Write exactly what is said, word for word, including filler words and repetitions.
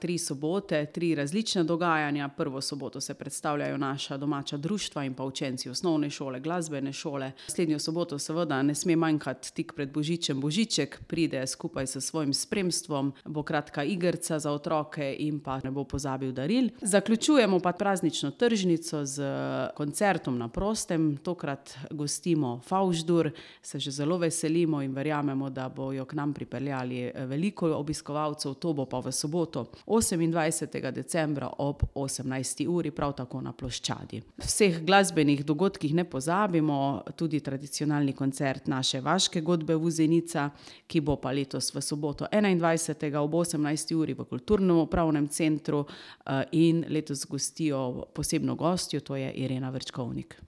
Tri sobote, tri različna dogajanja. Prvo soboto se predstavljajo naša domača društva in pa učenci osnovne šole, glasbene šole. Naslednjo soboto seveda ne sme manjkati tik pred božičem Božiček, pride skupaj s svojim spremstvom, bo kratka igrica za otroke in pa ne bo pozabil daril. Zaključujemo pa praznično tržnico s koncertom na prostem. Tokrat gostimo Favždur, se že zelo veselimo in verjamemo, da bojo k nam pripeljali veliko obiskovalcev. To bo pa v soboto, osemindvajsetega decembra ob osemnajsti uri, prav tako na ploščadi. Vseh glasbenih dogodkih ne pozabimo, tudi tradicionalni koncert naše vaške godbe Vuzenica, ki bo pa letos v soboto enaindvajsetega ob osemnajsti uri v Kulturno-upravnem centru in letos gostijo posebno gostjo, to je Irena Vrčkovnik.